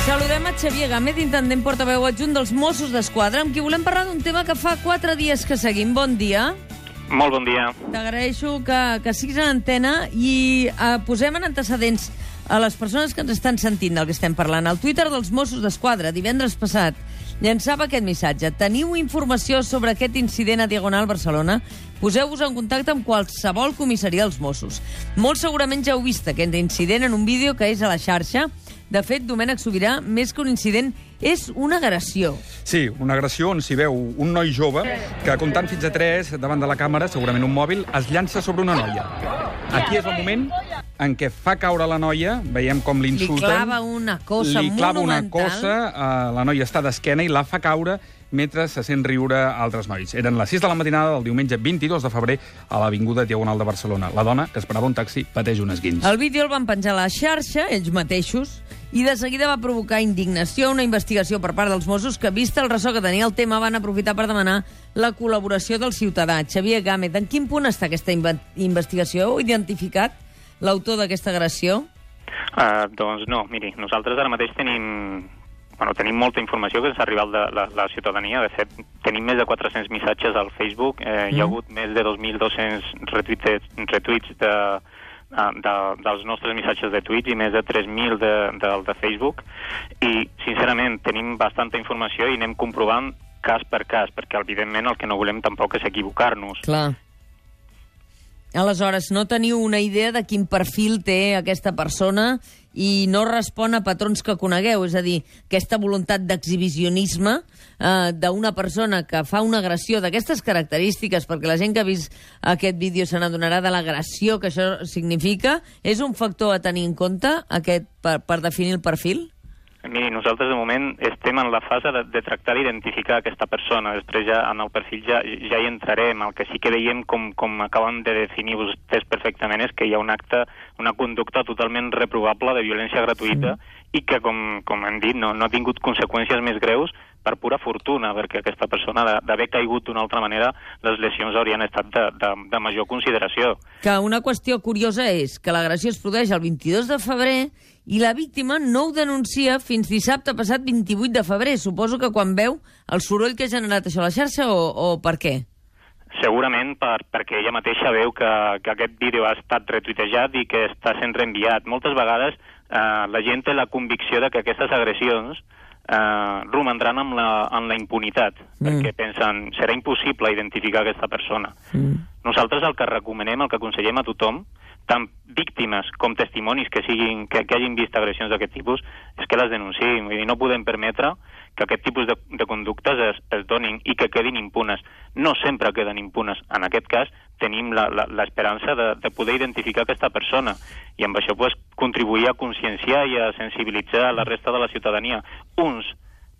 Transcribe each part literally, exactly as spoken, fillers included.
Saludem a Xavier Gámez, intendent portaveu adjunt dels Mossos d'Esquadra, amb qui volem parlar d'un tema que fa quatre dies que seguim. Bon dia. Molt bon dia. T'agraeixo que, que siguis en antena i eh, posem en antecedents a les persones que ens estan sentint del que estem parlant. El Twitter dels Mossos d'Esquadra, divendres passat, llançava aquest missatge. Teniu informació sobre aquest incident a Diagonal Barcelona? Poseu-vos en contacte amb qualsevol comissaria dels Mossos. Molt segurament ja heu vist aquest incident en un vídeo que és a la xarxa. De fet, Domènec Sobirà, més que un incident, és una agressió. Sí, una agressió on s'hi veu un noi jove que, comptant fins a tres davant de la càmera, segurament un mòbil, es llança sobre una noia. Aquí és el moment en què fa caure la noia, veiem com l'insulten. Li clava una cosa li clava monumental. una cosa, uh, la noia està d'esquena i la fa caure mentre se sent riure altres nois. Eren les sis de la matinada del diumenge vint-i-dos de febrer a l'avinguda Diagonal de Barcelona. La dona, que esperava un taxi, pateix un esguins. El vídeo el van penjar a la xarxa, ells mateixos, i de seguida va provocar indignació, una investigació per part dels Mossos que, vista el ressò que tenia el tema, van aprofitar per demanar la col·laboració del ciutadà. Xavier Gámez, en quin punt està aquesta investigació? Heu identificat l'autor d'aquesta agressió? Uh, doncs no, miri, nosaltres ara mateix tenim... Bueno, tenim molta informació que ens ha arribat de la, la ciutadania. De fet, tenim més de quatre-cents missatges al Facebook. Eh, mm. Hi ha hagut més de dos mil dos-cents retuits, retuits de, de, dels nostres missatges de tuits i més de tres mil de, de, de Facebook. I, sincerament, tenim bastanta informació i anem comprovant cas per cas, perquè, evidentment, el que no volem tampoc és equivocar-nos. Clar. Aleshores, no teniu una idea de quin perfil té aquesta persona i no respon a patrons que conegueu, és a dir, aquesta voluntat d'exhibicionisme eh, d'una persona que fa una agressió d'aquestes característiques, perquè la gent que ha vist aquest vídeo se n'adonarà de l'agressió que això significa, és un factor a tenir en compte aquest, per, per definir el perfil? Miri, nosaltres de moment estem en la fase de, de tractar d'identificar aquesta persona. Després ja en el perfil ja, ja hi entrarem. El que sí que veiem, com, com acaben de definir vostès perfectament, és que hi ha un acte, una conducta totalment reprovable de violència gratuïta sí. i que, com, com hem dit, no, no ha tingut conseqüències més greus per pura fortuna, perquè aquesta persona, d'haver caigut d'una altra manera, les lesions haurien estat de, de, de major consideració. Que una qüestió curiosa és que l'agressió es produeix el vint-i-dos de febrer i la víctima no ho denuncia fins dissabte passat vint-i-vuit de febrer. Suposo que quan veu el soroll que ha generat això a la xarxa o, o per què? Segurament per, perquè ella mateixa veu que, que aquest vídeo ha estat retuitejat i que està sent reenviat. Moltes vegades eh, la gent té la convicció de que aquestes agressions eh, romandran amb la, amb la impunitat, mm. perquè pensen serà impossible identificar aquesta persona. Mm. Nosaltres el que recomanem, el que aconsellem a tothom, tant víctimes com testimonis que, siguin, que, que hagin vist agressions d'aquest tipus, és que les denunciïn. Vull dir, no podem permetre que aquest tipus de, de conductes es, es donin i que quedin impunes. No sempre queden impunes. En aquest cas, tenim l'esperança de, de poder identificar aquesta persona i amb això pues, contribuir a conscienciar i a sensibilitzar la resta de la ciutadania. Uns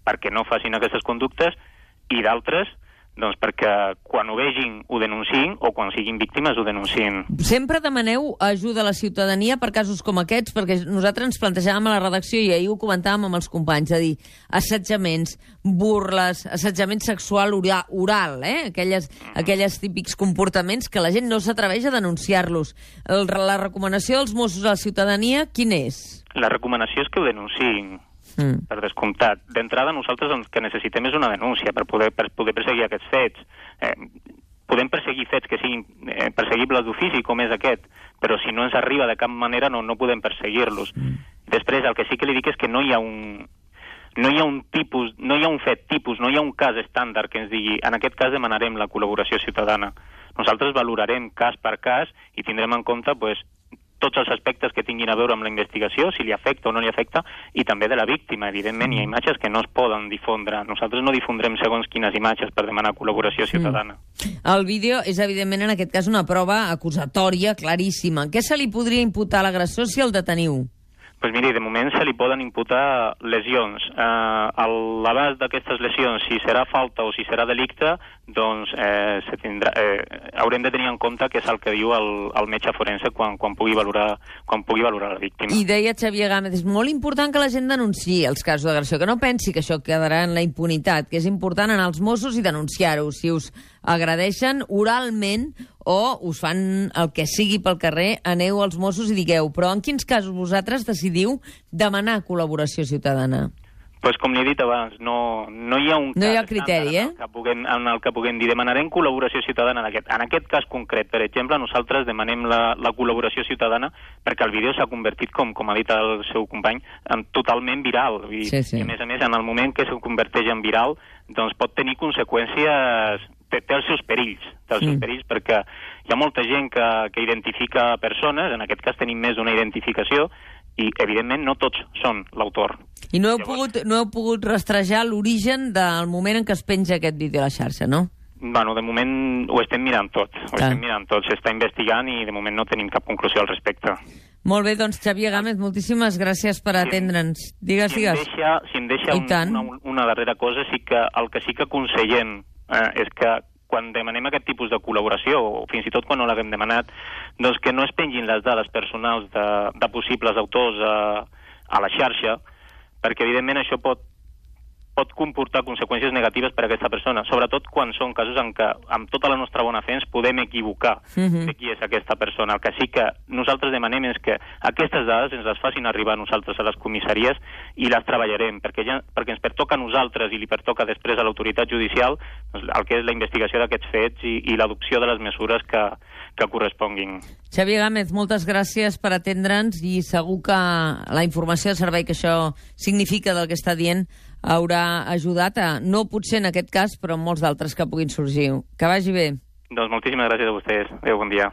perquè no facin aquestes conductes i d'altres doncs perquè quan ho vegin ho denunciïn o quan siguin víctimes ho denunciïn. Sempre demaneu ajuda a la ciutadania per casos com aquests, perquè nosaltres ens plantejàvem a la redacció i ahir ho comentàvem amb els companys, a dir, assetjaments, burles, assetjament sexual oral, eh? aquelles, aquelles típics comportaments que la gent no s'atreveix a denunciar-los. La recomanació dels Mossos a la ciutadania, quina és? La recomanació és que ho denunciïn. Mm. Per descomptat. D'entrada, nosaltres el que necessitem és una denúncia per poder, per poder perseguir aquests fets. Eh, podem perseguir fets que siguin eh, perseguibles d'ofici, com és aquest, però si no ens arriba de cap manera no, no podem perseguir-los. Mm. Després, el que sí que li dic és que no hi ha un... No hi ha un tipus, no hi ha un fet tipus, no hi ha un cas estàndard que ens digui en aquest cas demanarem la col·laboració ciutadana. Nosaltres valorarem cas per cas i tindrem en compte pues, tots els aspectes que tinguin a veure amb la investigació, si li afecta o no li afecta, i també de la víctima. Evidentment, hi ha imatges que no es poden difondre. Nosaltres no difondrem segons quines imatges per demanar col·laboració ciutadana. Mm. El vídeo és, evidentment, en aquest cas, una prova acusatòria claríssima. Què se li podria imputar a l'agressor si el deteniu? Pues miri, de moment se li poden imputar lesions. Eh, l'abast d'aquestes lesions, si serà falta o si serà delicte, doncs eh, se tindrà, eh, haurem de tenir en compte que és el que diu el, el metge forense quan, quan, pugui valorar, quan pugui valorar la víctima. I deia Xavier Gámez, és molt important que la gent denunciï els casos d'agressió, que no pensi que això quedarà en la impunitat, que és important anar als Mossos i denunciar-ho. Si us agradeixen oralment o us fan el que sigui pel carrer, aneu als Mossos i digueu. Però en quins casos vosaltres decidiu demanar col·laboració ciutadana? Pues com li he dit abans, no, no hi ha un no cas hi ha criteri, eh? en el que puguem, en el que puguem dir demanarem col·laboració ciutadana. En aquest, en aquest cas concret, per exemple, nosaltres demanem la, la col·laboració ciutadana perquè el vídeo s'ha convertit, com, com ha dit el seu company, en totalment viral. I, sí, sí. I a més a més, en el moment que se converteix en viral, doncs pot tenir conseqüències, té, té els seus perills, té els seus Mm. perills perquè hi ha molta gent que, que identifica persones, en aquest cas tenim més d'una identificació, i evidentment no tots són l'autor. I no heu, Llavors, pogut, no heu pogut rastrejar l'origen del moment en què es penja aquest vídeo a la xarxa, no? Bueno, de moment ho estem mirant tot, ho Clar. estem mirant tot, s'està investigant i de moment no tenim cap conclusió al respecte. Molt bé, doncs, Xavier Gámez, moltíssimes gràcies per atendre'ns. Digues, Si em digues. deixa, si em deixa I un, tant. una, una darrera cosa, sí que el que sí que aconsellem eh, és que quan demanem aquest tipus de col·laboració, o fins i tot quan no l'haguem demanat, doncs que no es pengin les dades personals de, de possibles autors a, a la xarxa, perquè evidentment això pot, pot comportar conseqüències negatives per a aquesta persona, sobretot quan són casos en què amb tota la nostra bona fe ens podem equivocar Mhm. de qui és aquesta persona. El que sí que nosaltres demanem és que aquestes dades ens les facin arribar a nosaltres a les comissaries i les treballarem, perquè, ja, perquè ens pertoca a nosaltres i li pertoca després a l'autoritat judicial doncs, el que és la investigació d'aquests fets i, i l'adopció de les mesures que, que corresponguin. Xavier Gámez, moltes gràcies per atendre'ns i segur que la informació de servei que això significa del que està dient haurà ajudat a, no potser en aquest cas, però en molts d'altres que puguin sorgir. Que vagi bé. Doncs moltíssimes gràcies a vostès. Adéu, bon dia.